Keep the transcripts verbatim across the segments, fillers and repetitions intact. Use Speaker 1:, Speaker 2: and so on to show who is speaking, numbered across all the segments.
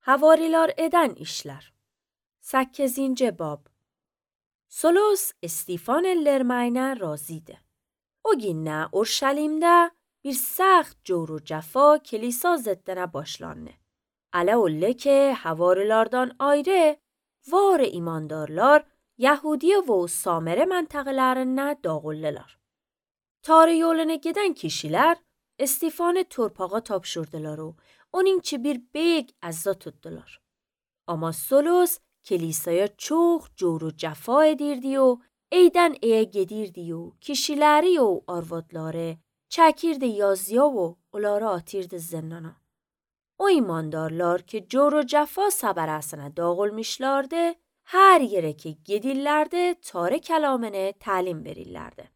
Speaker 1: Havariler eden işler. sekizinci bab. Solus İstifanellermeyne razıydı. O günne Urşalim'de bir saxt jor و cefa kilisa zeddene başlandı. Ala öyle ki havarilerden ayrı var imandarlar Yahudiye ve Samere mentıqalarına dağıldılar. Tarih yoluna giden kişiler İstifanı torpağa tapşırdılar و onun için bir beyg azza tuttular. Ama Solus kilisaya çok jor و cefa edirdi و eyden eye gedirdi و kişileri و arvadları çekirdi yazıya و onları atirdi zindana. O imandarlar ki jor و cefa saberasına dağılmışlardı, her yere ki gedirlerdi Tanrı kelamını talim verirlerdi.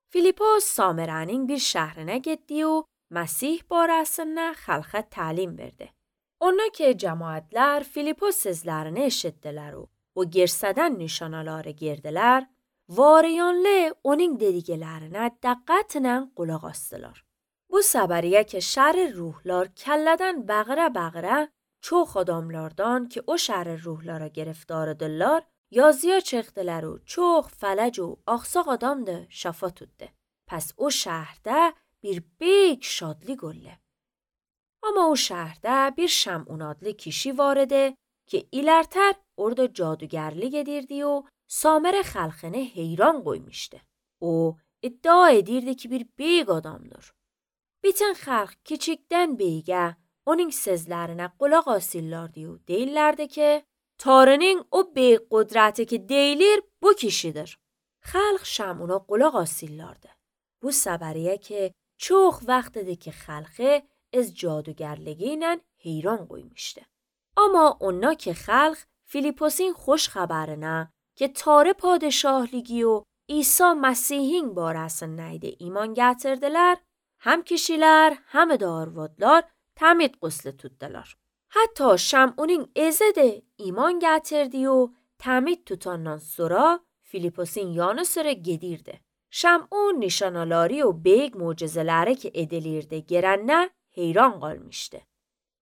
Speaker 1: Filipos Samere'nin bir şehrine gitti و Mesih barasına halka talim verdi. Ona ki cemaatler Filipos sözlerini eşittiler و o girseden nişanaları girdiler, variyanlı onun dediklerine diqqatlə qulaq astılar. Bu sabariye ki şer ruhlar kelleden bağıra bağıra çok adamlardan ki o şer ruhlara giriftardılar, yazıya çıktılar و çok felec و aksak adam da şafa tuttu. Pes o şehirde bir büyük şadlık oldu. Ama o şehirde bir Şam'un adlı kişi vardı ki ilerter orada cadugerlik edirdi و Samere xalqını heyran koymuştu. O iddia edirdi ki bir büyük adamdır. Bütün xalq küçükten büyüğe onun sözlerine qulaq asırlardı و deyirlerdi ki Tanrının o büyük kudreti ki deyilir bu kişidir. Xalq Şam'una qulaq asırlardı. Bu sabariye ki çok vaxtıdır ki xalqı از جادوگرلگینن حیران qoymuştu. Ama اونا که خلق فیلیپوسین خوش خبرنه که تاره پادشاهلیگی و عیسی مسیحین barasını neyde iman getirdiler, hem kişiler hem de arvadlar tamid quslu tutdular. Hatta Şam'unun eze de iman getirdi و tamid tutandan sonra Filipos'un yanı sıra gedirdi. Şam'un nişanaları و beyg mucizeleri ki edilirdi gerenne heyran qalmışdı.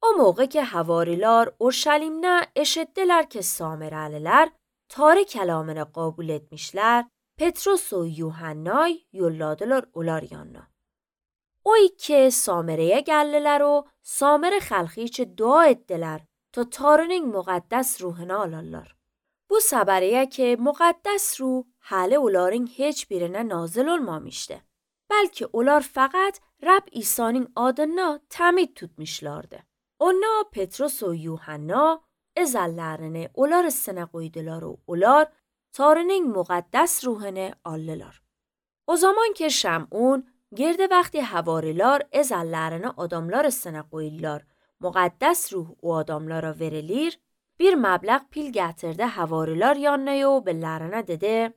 Speaker 1: O موقع که havariler Urşalim'ne eşittiler ki Samereliler Tanrı kelamını kabul etmişler, Petrus و Yuhanna'yı yolladılar onlar yanına. O iki Samere'ye geldiler و Samere xalqi için dua ettiler ta Tanrı'nın muqaddas ruhunu alırlar. Bu sabariye ki muqaddas ruh halə onların heç birine nazil olmamıştı. Belki onlar faqat Rab İsa'nın adına tamid tutmuşlardı. Ona Petrus و Yuhanna ezellerini onlar üstüne koydular و onlar Tanrı'nın muqaddas ruhunu aldılar. O zaman ki Şam'un girdi vaqti havariler ezellerini adamlar üstüne koydular, muqaddas ruh o adamlara verilir, bir meblağ pil getirdi havariler yanına و bellerine dedi: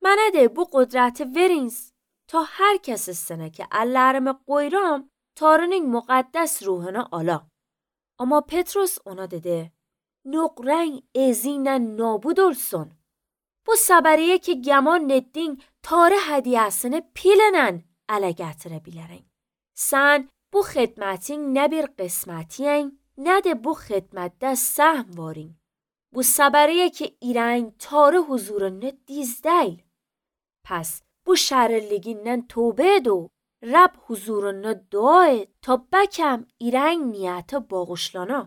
Speaker 1: "Mənə de bu qudreti veriniz تا هر کس üstüne ki ellerimi qoyuram, Tanrı'nın muqaddas ruhunu ala." Ama Petrus ona dedi: "Nöqren ezinen nabud olsun. Bu sabariye ki geman ettin Tanrı hediyesini pilenen ele getirebilirin. Sen bu xidmetin ne bir qismetiyen ne de bu xidmette sahm varin. Bu sabariye ki iren Tanrı huzurunu diz değil. Pes bu şerliginden توبه دو رب huzuruna dua et ta بکم ایرنگ نیت باغشلانا.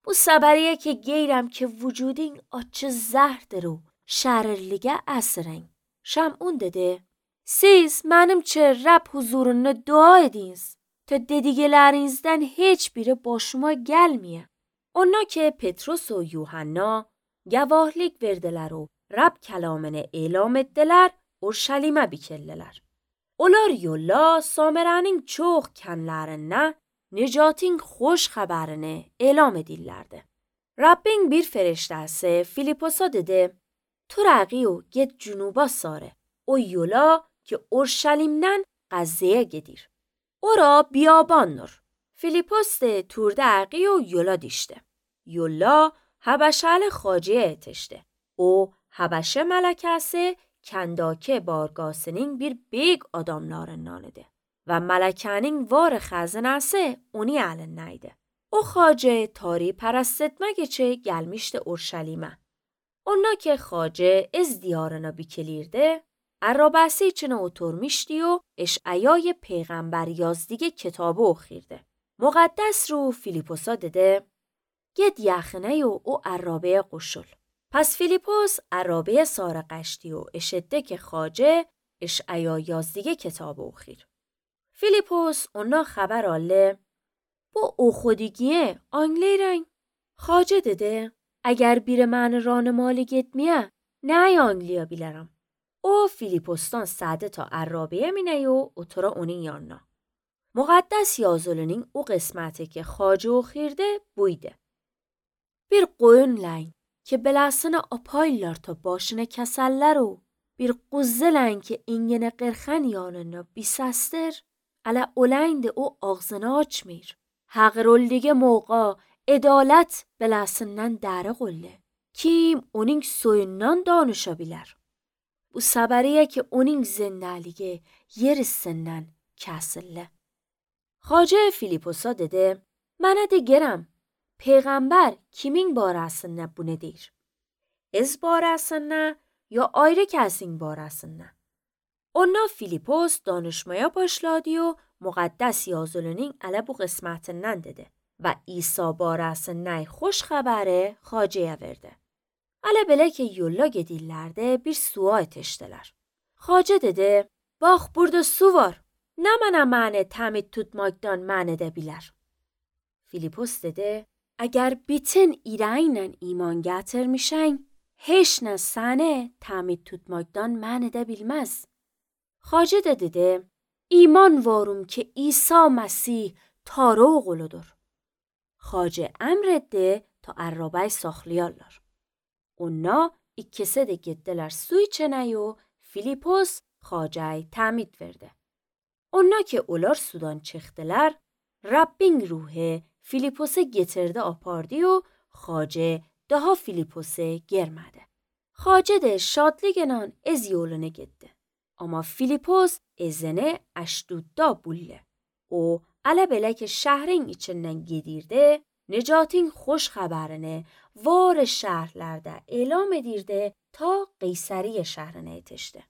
Speaker 1: Bu sabariye ki geyrem ki vücudun açı zehirdir و şerlige esren. Şam'un dedi: "Siz menimçe Rab huzuruna dua ediniz ta dedigelerinizden hiçbiri başıma gelmiye." Ona ki Petrus و Yuhanna gavahlik verdiler و Rab kelamını elam ettiler, Urşalim'e bikeldiler. Onlar yolla Samere'nin çok kenlerine Necat'in hoş haberini elam edirlerdi. Rabbin bir feriştesi Filipos'a dedi: "Tu raqi و git cunuba sare. O yola ki Urşalim'den Gazze'ye gedir. Ora biyabandır." Filipos de turda raqi و yola dişti. Yola Habeşel xacıya etişti. O Habeşe melekesi Kendake bargasının bir büyük adamlarından idi ve melekenin var xəzinəsi onu elindeydi. O Xace tarih parastetmek için gelmişti Urşalim'e. Onlar ki Xace ez diyarına bikilirdi, Arabasi içine oturmuştu و اشعیای پیغمبر یازدیگه کتابو اخیرده. مقدس رو فیلیپوسا دده گد یخنه و او عرابه قشل. پس فیلیپوس عرابه سار قشتی و اشده که خاجه اشعیا یازدیگه کتابو اخیر. فیلیپوس اونا خبر آله با او خودیگیه آنگلی رنگ. خاجه دده اگر بیر من ران مالی گد میه نه آنگلیا بیلرم. او فیلیپوستان ساده تا عرابه مینه و اترا اونی یانا. مقدس یازولونین او قسمته که خاجه و خیرده بویده. بیر قوین لین که بلاسن اپایلار تا باشن کسله رو بیر قوزه لین که اینگن قرخن یاننا بیسستر علا اولند او آغزناچ میر. حق رول دیگه موقع ادالت بلاسنن داره قله. کیم اونینگ سوینان دانشا بیلر. Bu sabariye ki onun zindalige yerisinden kesille. Xace Filipos'a dedi, mənə de gerəm, peyğəmbər kimin barəsində bu nedir? Ez barəsində ya ayrı kəsin barəsində? Onlar Filipos danışmaya başladı و مقدس yazılının ələ bu qismətindən dedi və İsa barəsində xoş xəbəri Xaceyə verdi. Ələ belə ki yolla gedirlərdə bir suya etişdilər. Xace dedi, bax burada su var. Nə mənə məni təmid tutmaqdan mən edə bilər? Filipos dedi, əgər bütün irəylə iman gətirmişən, heç nə səni təmid tutmaqdan mən edə bilməz. Xace də dedi, iman varım ki İsa Məsih Tanrı oğludur. Xace əmr etdi ta ərrabay saxlayarlar. Onlar ikkisi de gittiler su içene و Filipos Xace'yi təmid verdi. Onlar ki olar sudan çıxdılar, Rabbin ruhu Filipos'u getirdi apardı و Xace daha Filipos'u germedi. Xace de şadlıqla ez yoluna gitti. Ama Filipos ezine Əşdudda bulle. O ələ belə ki şəhrin içindən gedirdi, Necatin xoş xəbərini var şəhərlərdə elam edirdi ta Qeysariyə şəhrinə yetişdi.